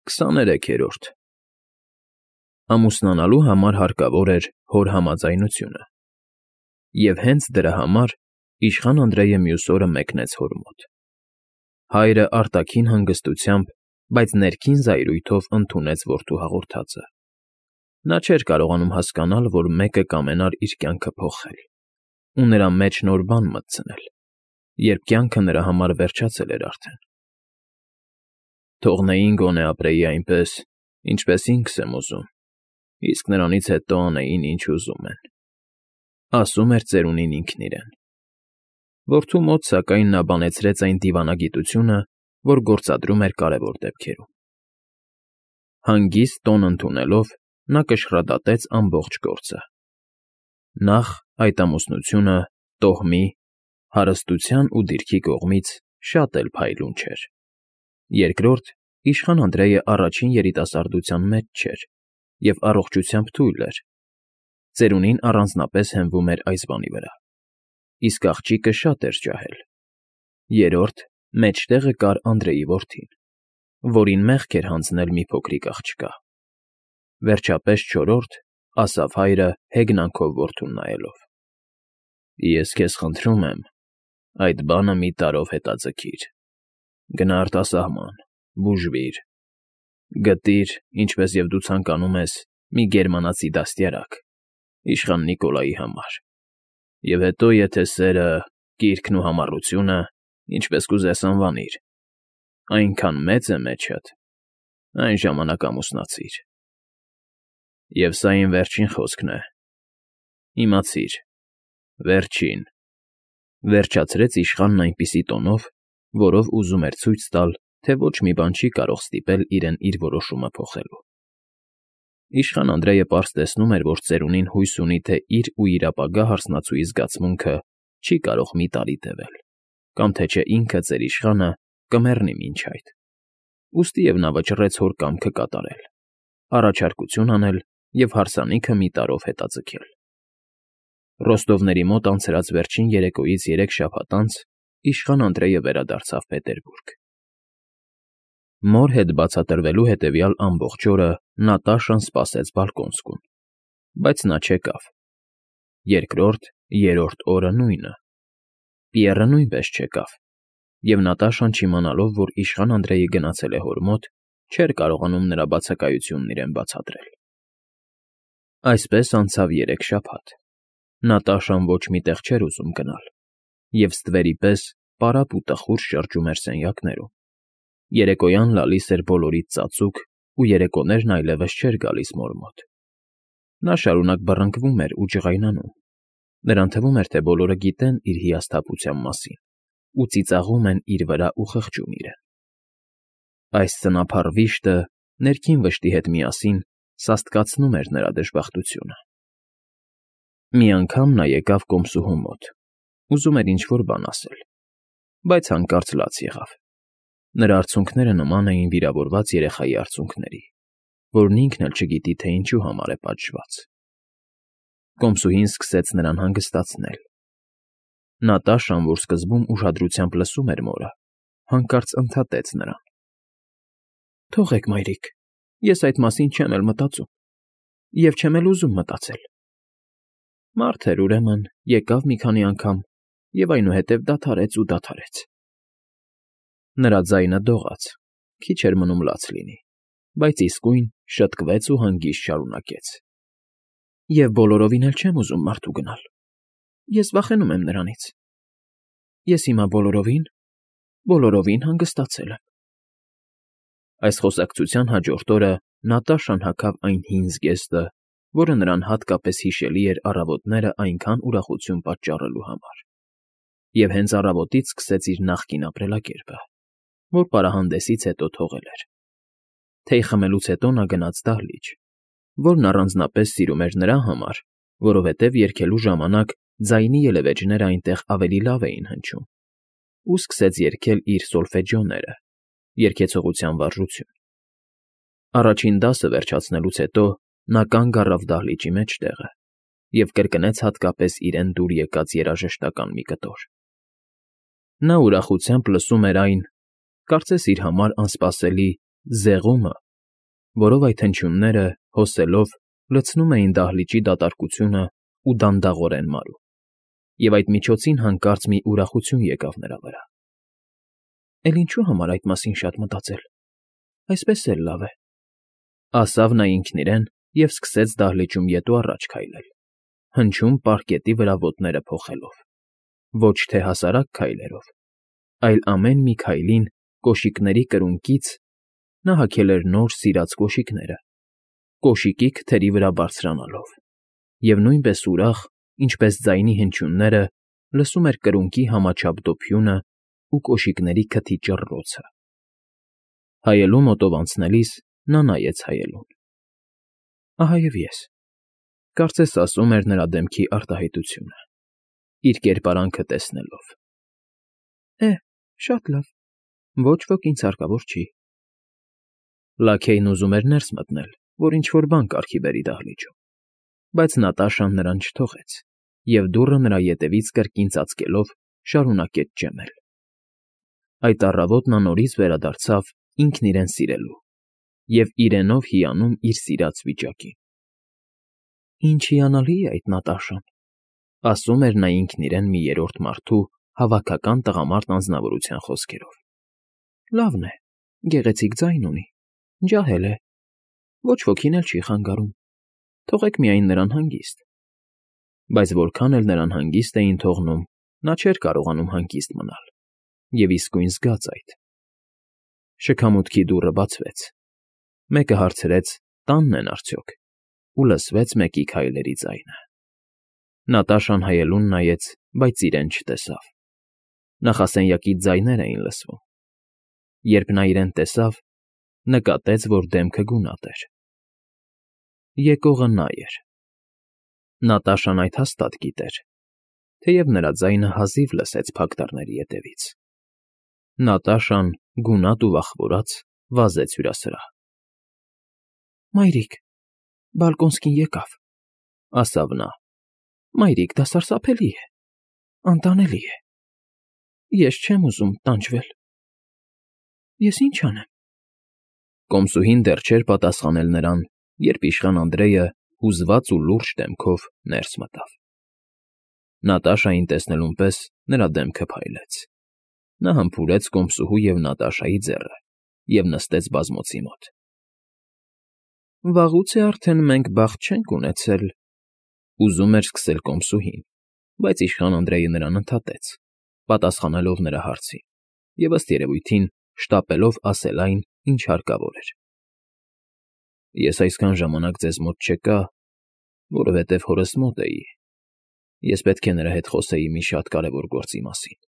23-րդ Ամուսնանալու համար հարկավոր էր հոր համաձայնությունը, և հենց դրա համար իշխան Անդրեյը մյուս օրը մեկնեց հոր մոտ. հայրը արտաքին հանգստությամբ, բայց ներքին զայրույթով ընդունեց որդու հաղորդածը. նա չէր կարողանում հասկանալ, որ մեկը կամենար իր կյանքը փոխել ու նրա մեջ նոր բան մտցնել, երբ կյանքը նրա համար վերջացել էր արդեն։ Թողնեին գոնե ապրեի այնպես, ինչպես ինքս եմ ուզում, իսկ նրանից հետո անեին, ինչ ուզում են, ասում էր ծերունին ինքն իրեն։ Որդու մոտ, սակայն, նա բանեցրեց այն դիվանագիտությունը, որ գործադրում էր կարևոր դեպքերում։ Հանգիստ տոն ընդունելով, նա կշռադատեց ամբողջ գործը։ Նախ, այդ ամուսնությունը տոհմի, հարստության ու դիրքի կողմից շատ էլ փայլուն չէր։ Երկրորդ, իշխան Անդրեյը առաջին երիտասարդության մեջ չէր և առողջությամբ թույլ էր։ Ծերունին առանձնապես հենվում էր այս բանի վրա, իսկ աղջիկը շատ էր ջահել։ Երրորդ, մեջտեղը կար Անդրեյի որդին, որին մեղք էր հանձնել մի փոքրիկ աղջկա։ Վերջապես չորրորդ, ասավ հայրը հեգնանքով որդուն նայելով. Ես քեզ խնդրում եմ, այդ բանը մի տարրով հետաձգիր, գնա արտասահման, բուժվիր, գտիր, ինչպես և դու ցանկանում ես, մի գերմանացի դաստիարակ, իշխան Նիկոլայի համար, և հետո, եթե սերը, կիրքն ու համառությունը, ինչպես կուզես անվանիր, այնքան մեծ է մեջդ, այն ժամանակ ամուսնացիր։ Եվ սա իմ վերջին խոսքն է, իմացիր, վերջին, վերջացրեց իշխանն այնպիսի տոնով, որով ուզում էր ցույց տալ, թե ոչ մի բան չի կարող ստիպել իրեն իր որոշումը փոխելու։ Իշխան Անդրեյը պարզ տեսնում էր, որ ծերունին հույս ունի, թե իր ու իր ապագա հարսնացուի զգացմունքը չի կարող մի տարի տևել, կամ թե չէ ինքը ծեր իշխանը կմեռնի մինչ այդ։ Ուստիև նա վճռեց հոր կամքը կատարել, առաջարկություն անել և հարսանիքը մի տարրով հետաձգել։ Ռոստովների մոտ անցրած վերջին երեկոյից 3 շաբաթ անց իշխան Անդրեյը վերադարձավ Պետերբուրգ։ Մոր հետ բացատրվելու հետևյալ ամբողջ օրը Նատաշան սպասեց բալկոնսկում, բայց նա չեկավ։ Երկրորդ, երրորդ օրը նույնը։ Պիեռը նույնպես չեկավ, և Նատաշան չիմանալով, որ իշխան Անդրեյը գնացել է հոր մոտ, չէր կարողանում նրա բացակայությունն իրեն բացատրել։ Այսպես անցավ 3 շաբաթ։ Նատաշան ոչ մի տեղ չէր ուզում գնալ, և ստվերի պես պարապ ու տխուր շրջում էր սենյակներում։ Երեկոյան լալիս էր բոլորից ծածուկ, ու երեկոներն այլևս չէր գալիս մոր մոտ։ Նա շարունակ բռնկվում էր ու ջղայնանում։ Նրան թվում էր, թե բոլորը գիտեն իր հիասթափության մասին ու ծիծաղում են իր վրա ու խղճում իրեն։ Այս ծնապառ վիշտը ներքին վշտի հետ միասին սաստկացնում էր նրա դժբախտությունը։ Մի անգամ նա եկավ կոմսուհու մոտ, ուզում էր ինչ֊որ բան ասել, բայց հանկարծ լաց եղավ։ Նրա արցունքները նման էին վիրավորված երեխայի արցունքների, որն ինքն էլ չգիտի, թե ինչու համար է պատժված։ Կոմսուհին սկսեց նրան հանգստացնել։ Նատաշան, որ սկզբում ուշադրությամբ լսում էր մորը, հանկարծ ընդհատեց նրան. Թողեք, մայրիկ, ես այդ մասին չեմ էլ մտածում, և չեմ էլ ուզում մտածել։ Մարդ էր, ուրեմն, եկավ մի քանի անգամ և այնուհետև դադարեց ու դադարեց։ Նրա ձայնը դողաց, քիչ էր մնում լաց լինի, բայց իսկույն շտկվեց ու հանգիստ շարունակեց. Եվ բոլորովին էլ չեմ ուզում մարդու գնալ։ Ես վախենում եմ նրանից։ Ես հիմա բոլորովին հանգստացել եմ։ Այս խոսակցության հաջորդ օրը Նատաշան հագավ այն հին զգեստը, որը նրան հատկապես հիշելի էր առավոտները այնքան ուրախություն պատճառելու համար, և հենց առավոտից սկսեց իր նախկին ապրելակերպը, որ պարահանդեսից հետո թողել էր։ Թեյ խմելուց հետո նա գնաց դահլիճ, որն առանձնապես սիրում էր նրա համար, որովհետև երգելու ժամանակ ձայնի ելևէջները այնտեղ ավելի լավ էին հնչում, ու սկսեց երգել իր սոլֆեջիոները, երգեցողության վարժություն։ Առաջին դասը վերջացնելուց հետո նա կանգ առավ դահլիճի մեջտեղը և կրկնեց հատկապես իրեն դուր եկած երաժշտական մի կտոր։ Նա ուրախությամբ լսում էր այն, կարծես իր համար անսպասելի «զեղումը» որով այդ հնչյունները, հոսելով, լցնում էին դահլիճի դատարկությունն ու դանդաղորեն մարում, և այդ միջոցին հանկարծ մի ուրախություն եկավ նրա վրա։ «Էլ ինչու համար այդ մասին շատ մտածել, այսպես էլ լավ է», ասավ նա ինքն իրեն և սկսեց դահլիճում ետ ու առաջ քայլել, հնչում պարկետի վրա ոտները փոխելով, ոչ թե հասարակ քայլերով, այլ ամեն մի քայլին կոշիկների կրունկից (նա հագել էր նոր, սիրած կոշիկները) կոշիկի քթերի վրա բարձրանալով, և նույնպես ուրախ, ինչպես ձայնի հնչյունները, լսում էր կրունկի համաչափ դոփյունն ու կոշիկների քթի ճռռոցը։ Հայելու մոտով անցնելիս նա նայեց հայելուն։ «Ահա և ես», կարծես ասում էր նրա դեմքի արտահայտությունը, իր կերպարանքը տեսնելով։ Շատ լավ, ոչ ոք ինձ հարկավոր չի։ Լաքեյն ուզում էր ներս մտնել, որ ինչ֊որ բան կարգի բերի դահլիճում, բայց Նատաշան նրան չթողեց և դուռը նրա ետևից կրկին ծածկելով շարունակեց ճեմել։ Այդ առավոտ նա նորից վերադարձավ ինքն իրեն սիրելու և իրենով հիանում իր սիրած վիճակին։ «Ինչ հիանալի է այդ Նատաշան», ասում էր նա ինքն իրեն մի երրորդ մարդու հավաքական տղամարդ անձնավորության խոսքերով։ «Լավն է, գեղեցիկ ձայն ունի, ջահել է, ոչ ոքին էլ չի խանգարում, թողեք միայն նրան հանգիստ»։ Բայց որքան էլ նրան հանգիստ էին թողնում, նա չէր կարողանում հանգիստ մնալ և իսկույն զգաց այդ։ Շքամուտքի դուռը բացվեց, մեկը հարցրեց՝ տանն են արդյոք, ու լսվեց մեկի քայլերի ձայնը։ Նատաշան հայելուն նայեց, բայց իրեն չտեսավ։ Նախասենյակից ձայներ էին լսվում։ Երբ նա իրեն տեսավ, նկատեց, որ դեմքը գունատ էր։ Եկողը նա էր։ Նատաշան այդ հաստատ գիտեր, թեև նրա ձայնը հազիվ լսեց փակ դռների ետևից։ Նատաշան, գունատ ու վախվորած, վազեց հյուրասրահ։ «Մայրիկ, Բալկոնսկին եկավ», ասավ նա։ «Մայրիկ, դա սարսափելի է, անտանելի է։ Ես չեմ ուզում տանջվել»։ «Ես ինչ անեմ»։ Կոմսուհին դեռ չէր պատասխանել նրան, երբ իշխան Անդրեյը հուզված ու լուրջ դեմքով ներս մտավ։ Նատաշային տեսնելուն պես նրա դեմքը փայլեց։ Նա համբուրեց կոմսուհու և Նատաշայի ձեռը և նստեց բազմոցի մոտ։ «Վաղուց է արդեն մենք բախտ չենք ունեցել», ուզում էր սկսել կոմսուհին, բայց իշխան Անդրեյը նրան ընդհատեց, պատասխանելով նրա հարցին և, ըստ երևույթին, շտապելով ասել այն, ինչ հարկավոր էր։ «Ես այսքան ժամանակ ձեզ մոտ չեկա, որովհետև հորս մոտ էի, ես պետք է նրա հետ խոսեի մի շատ կարևոր գործի մասին։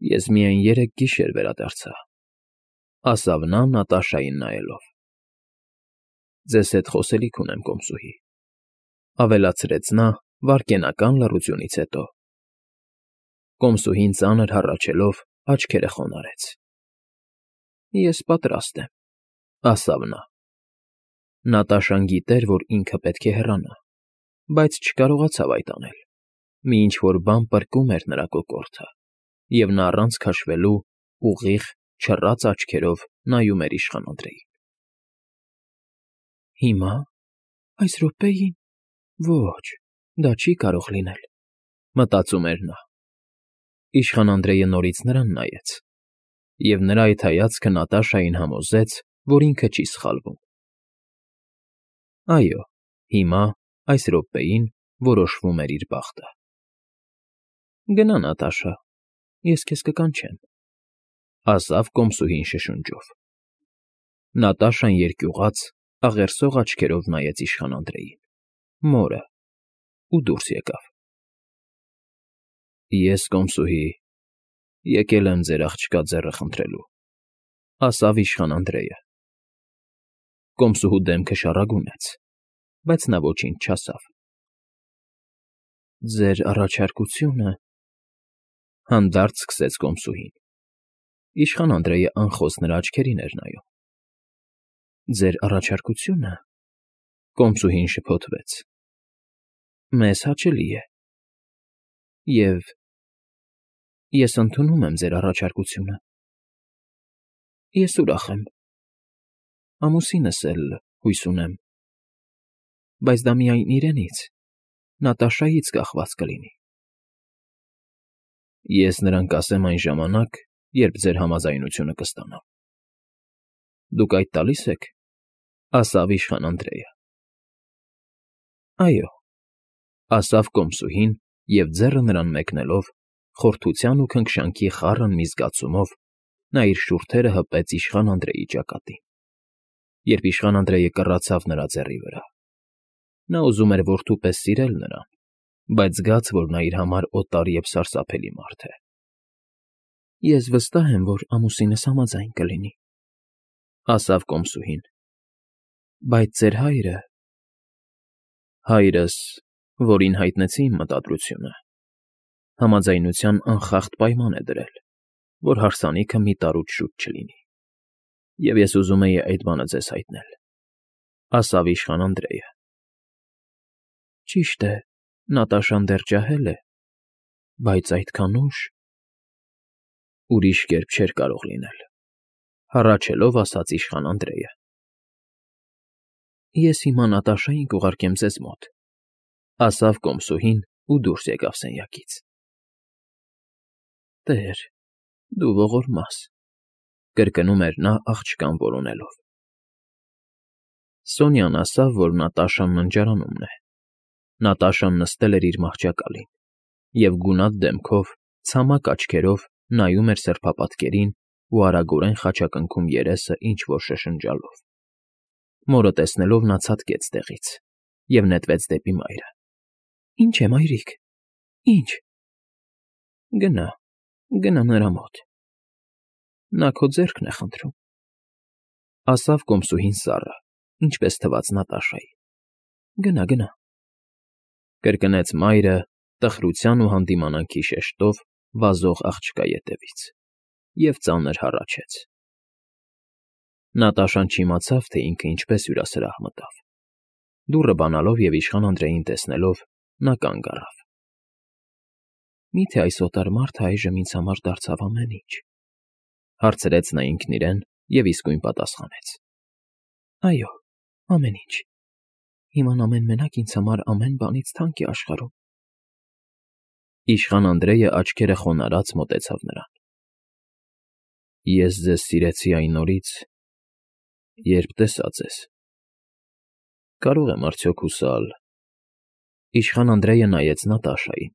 Ես միայն 3 գիշեր վերադարձա», ասավ նա Նատաշային նայելով։ «Ձեզ հետ խոսելիք ունեմ, կոմսուհի», ավելացրեց նա վայրկենական լռությունից հետո։ Կոմսուհին ծանր հառաչելով աչքերը խոնարհեց։ «Ես պատրաստ եմ», ասավ նա։ Նատաշան գիտեր, որ ինքը պետք է հեռանա, բայց չկարողացավ այդ անել։ Մի ինչ֊որ բան պրկում էր նրա կոկորդը, և նա առանց քաշվելու ուղիղ, չռած աչքերով նայում էր իշխան Անդրեյին։ «Հիմա, այս րոպեին, ոչ, դա չի կարող լինել», մտածում էր նա։ Իշխան Անդրեյը նորից նրան նայեց, և նրա այդ հայացքը Նատաշային համոզեց, որ ինքը չի սխալվում։ Այո, հիմա, այս րոպեին որոշվում էր իր բախտը։ «Գնա, Նատաշա, ես քեզ կկանչեմ», ասավ կոմսուհին շշունջով։ Նատաշան երկյուղած, աղերսող աչքերով նայեց իշխան Անդրեյին, մորը, ու դուրս եկավ։ «Ես, կոմսուհի, եկել եմ ձեր աղջկա ձեռքը խնդրելու», ասավ իշխան Անդրեյը։ Կոմսուհու դեմքը շառագունեց, բայց նա ոչինչ չասավ։ «Ձեր առաջարկությունը», հանդարտ սկսեց կոմսուհին։ Իշխան Անդրեյը անխոս նրա աչքերին էր նայում։ «Ձեր առաջարկությունը», կոմսուհին շփոթվեց, «մեզ հաճելի է, և ես ընդունում եմ ձեր առաջարկությունը։ Ես ուրախ եմ»։ ամուսինս էլ, հույս ունեմ, բայց դա միայն իրենից, Նատաշայից կախված կլինի։ Ես նրան կասեմ այն ժամանակ, երբ ձեր համաձայնությունը կստանամ։ Դուք այդ տալի՞ս եք,֊ ասավ իշխան Անդրեյը։ Այո,֊ ասավ կոմսուհին, և ձեռը նրան մեկնելով, խորթության ու քնքշանքի խառն մի զգացումով նա իր շուրթերը հպեց իշխան Անդրեյի ճակատին, երբ իշխան Անդրեյը կռացավ նրա ձեռի վրա։ Նա ուզում էր որդու պես սիրել նրան, բայց զգաց, որ նա իր համար օտար և սարսափելի մարդ է։ Ես վստահ եմ, որ ամուսինս համաձայն կլինի,֊ ասավ կոմսուհին,֊ բայց ձեր հայրը… Հայրս, որին հայտնեցի իմ մտադրությունը, համաձայնության անխախտ պայման է դրել, որ հարսանիքը մի տարուց շուտ չլինի, և ես ուզում էի այդ բանը ձեզ հայտնել,֊ ասավ իշխան Անդրեյը։ Ճիշտ է, Նատաշան դեռ ջահել է, բայց այդքան ուշ… Ուրիշ կերպ չէր կարող լինել,֊ հառաչելով ասաց իշխան Անդրեյը։ Ես հիմա Նատաշային կուղարկեմ ձեզ մոտ,֊ ասավ կոմսուհին ու դուրս եկավ սենյակից։ Տեր, դու ողորմաս,֊ կրկնում էր նա աղջկան որոնելով։ Սոնյան ասավ, որ Նատաշան ննջարանումն է։ Նատաշան նստել էր իր մահճակալին և գունատ դեմքով, ցամաք աչքերով նայում էր սրբապատկերին ու արագորեն խաչակնքում երեսը ինչ֊որ շշնջալով։ Մորը տեսնելով նա ցատկեց տեղից և նետվեց դեպի մայրը։ Ինչ է, մայրիկ, ինչ… Գնա նրա մոտ… Նա քո ձեռքն է խնդրում,֊ ասավ կոմսուհին սառը, ինչպես թվաց Նատաշայի։ Գնա,֊ կրկնեց մայրը տխրության ու հանդիմանանքի շեշտով վազող աղջկա ետևից և ծանր հառաչեց։ Նատաշան չիմացավ, թե ինքը ինչպես հյուրասրահ մտավ։ Դուռը բանալով և իշխան Անդրեյին տեսնելով՝ նա կանգ առավ։ Մի՞թե այս օտար մարդը այժմ ինձ համար դարձավ ամեն ինչ,֊ հարցրեց նա ինքն իրեն և իսկույն պատասխանեց. Այո, ամեն ինչ… Հիմա նա մենակ ինձ համար ամեն բանից թանկ է աշխարհում։ Իշխան Անդրեյը աչքերը խոնարհած մոտեցավ նրան։ Ես ձեզ սիրեցի այն օրից, երբ տեսա ձեզ… Կարո՞ղ եմ արդյոք հուսալ… Իշխան Անդրեյը նայեց Նատաշային,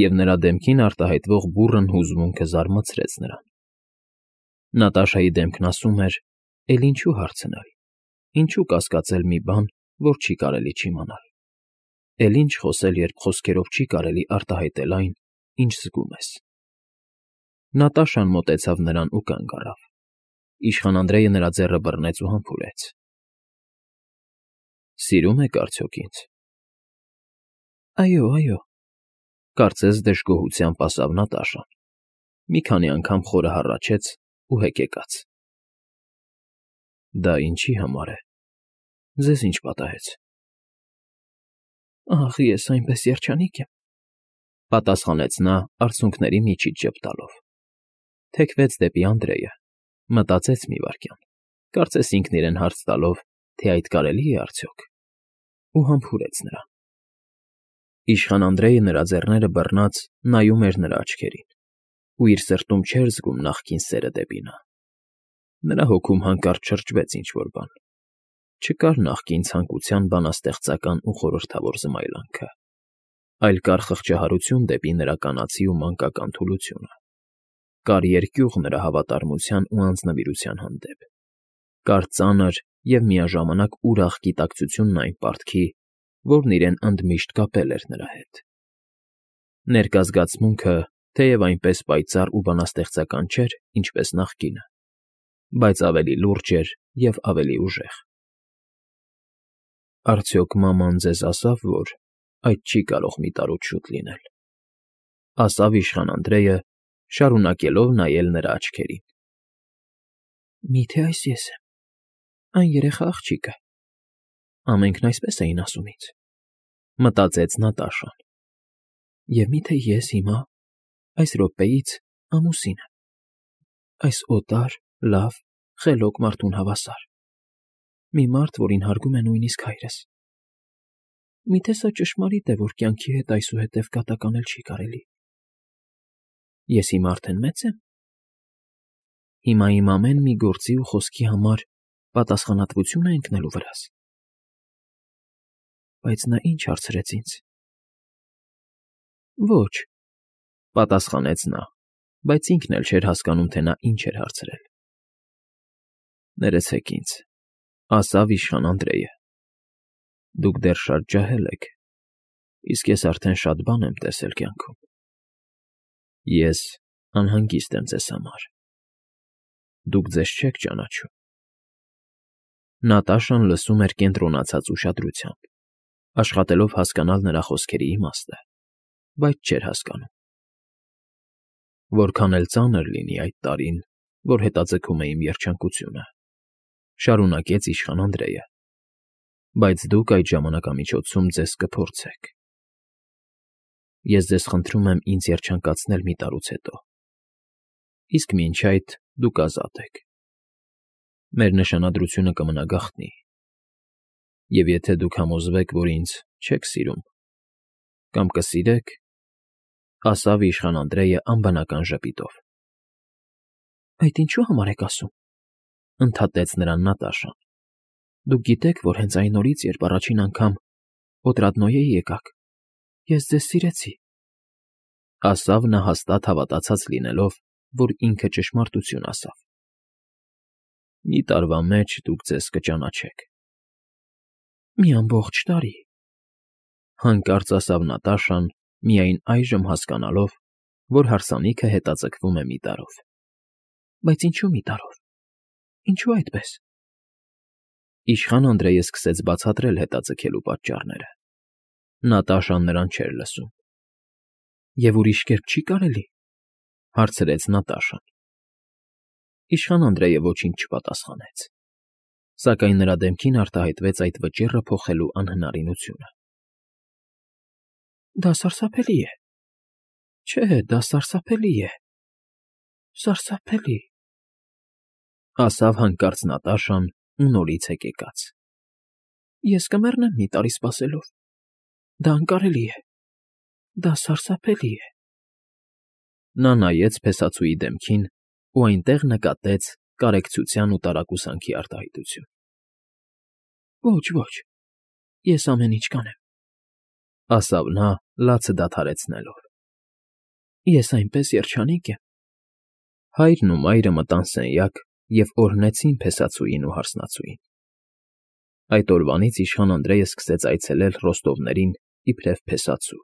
և նրա դեմքին արտահայտվող բուռն հուզմունքը զարմացրեց նրան։ Նատաշայի դեմքն ասում էր. «Էլ ինչու հարցնել, ինչու կասկածել մի բան, որ չի կարելի չիմանալ, էլ ինչ խոսել, երբ խոսքերով չի կարելի արտահայտել այն, ինչ զգում ես»։ Նատաշան մոտեցավ նրան ու կանգ առավ։ Իշխան Անդրեյը նրա ձեռը բռնեց ու համբուրեց։ Սիրո՞ւմ եք արդյոք ինձ։ Այո,֊ կարծես դժգոհությամբ ասավ Նատաշան, մի քանի անգամ խորը հառաչեց ու հեկեկաց։ Դա ինչի համար է, ձեզ ինչ պատահեց։ Ախ, ես այնպես երջանիկ եմ,֊ պատասխանեց նա արցունքների միջից ժպտալով։ Թեքվեց դեպի Անդրեյը, մտածեց մի վայրկյան, կարծես ինքն իրեն հարց տալով, թե այդ կարելի է արդյոք, ու համբուրեց նրան։ Իշխան Անդրեյը նրա ձեռները բռնած նայում էր նրա աչքերին ու իր սրտում չէր զգում նախկին սերը դեպի նա։ Նրա հոգում հանկարծ շրջվեց ինչ֊որ բան։ Չկար նախկին ցանկության բանաստեղծական ու խորհրդավոր զմայլանքը, այլ կար խղճահարություն դեպի նրա կանացի ու մանկական թուլությունը։ Կար երկյուղ նրա հավատարմության ու անձնվիրության հանդեպ։ Կար ծանր և միաժամանակ ուրախ գիտակցությունն այն պարտքի, որն իրեն ընդմիշտ կապել էր նրա հետ։ Ներկա զգացմունքը, թեև այնպես պայծառ ու բանաստեղծական չէր, ինչպես նախկինը, բայց ավելի լուրջ էր և ավելի ուժեղ։ Արդյոք մաման ձեզ ասավ, որ այդ չի կարող մի տարուց շուտ լինել,֊ ասավ իշխան Անդրեյը, շարունակելով նայել նրա աչքերին։ Մի՞թե այս ես եմ, այն երեխա աղջիկը… Ամենքն այսպես էին ասում ինձ,֊ մտածեց Նատաշան։ Եվ մի՞թե ես հիմա, այս րոպեից ամուսինը… Այս օտար, լավ, խելոք մարդուն հավասար… Մի մարդ, որին հարգում է նույնիսկ հայրս։ Միթե սա ճշմարիտ է, որ կյանքի հետ այսուհետև կատականել չի կարելի։ Ես հիմա արդեն մեծ եմ։ Հիմա իմ ամեն մի գործի ու խոսքի համար պատասխանատվություն է ընկնելու վրաս։ Բայց նա ինչ հարցրեց ինձ։ Ոչ, պատասխանեց նա, բայց ինքն էլ չէր հասկանում, թե նա ինչ էր հարցրել։ Ներեցեք ինձ, ասավ իշխան Անդրեյը։ Դուք դեռ շատ ջահել եք, իսկ ես արդեն շատ բան եմ տեսել կյանքում։ Ես անհանգիստ եմ ձեզ համար։ Դուք ձեզ չեք ճանաչում։ Նատաշան լսում էր կենտրոնացած ուշադրությամբ, աշխատելով հասկանալ նրա խոսքերի իմաստը, բայց չէր հասկանում։ Որքան էլ ծանր լինի այդ տարին, որ հետաձգում է իմ երջանկությունը, շարունակեց իշխան Անդրեյը, բայց դուք այդ ժամանակամիջոցում ձեզ կփորձեք։ Ես ձեզ խնդրում եմ ինձ երջանկացնել մի տարուց հետո, իսկ մինչ այդ դուք ազատ եք։ Մեր նշանադրությունը կմնա գաղտնի, և եթե դուք համոզվեք, որ ինձ չեք սիրում, կամ կսիրեք, ասավ իշխան Անդրեյը անբնական ժպիտով։ Այդ ինչու համար եք ասում, ընդհատեց նրան Նատաշան։ Դուք գիտեք, որ հենց այն օրից, երբ առաջին անգամ Օտրադնոյեի եկաք, ես ձեզ սիրեցի, ասավ նա հաստատ հավատացած լինելով, որ ինքը ճշմարտություն ասավ։ Մի տարվա մեջ դուք ձեզ կճանաչեք։ Մի ամբողջ տարի, հանկարծ ասավ Նատաշան, միայն այժմ հասկանալով, որ հարսանիքը հետաձգվում է մի տարով։ Բայց ինչու մի տարով։ Ինչու այդպես։ Իշխան Անդրեյը սկսեց բացատրել հետաձգելու պատճառները։ Նատաշան նրան չէր լսում։ Եվ ուրիշ կերպ չի կարելի, հարցրեց Նատաշան։ Իշխան Անդրեյը ոչինչ չպատասխանեց, սակայն նրա դեմքին արտահայտվեց այդ վճիռը փոխելու անհնարինությունը։ Դա սարսափելի է։ Չէ, դա սարսափելի է։ Սարսափելի, ասավ հանկարծ Նատաշան ու նորից հեկեկաց։ Ես կմեռնեմ մի տարի սպասելով։ Դա անկարելի է։ Դա սարսափելի է։ Նա նայեց փեսացուի դեմքին ու այնտեղ նկատեց կարեկցության ու տարակուսանքի արտահայտություն։ Ոչ, ես ամեն ինչ կանեմ, ասավ նա, լացը դադարեցնելով։ Ես այնպես երջանիկ եմ։ Հայրն ու մայրը մտան սենյակ և օրհնեցին փեսացուին ու հարսնացուին։ Այդ օրվանից իշխան Անդրեյը սկսեց այցելել Ռոստովներին իբրև փեսացու։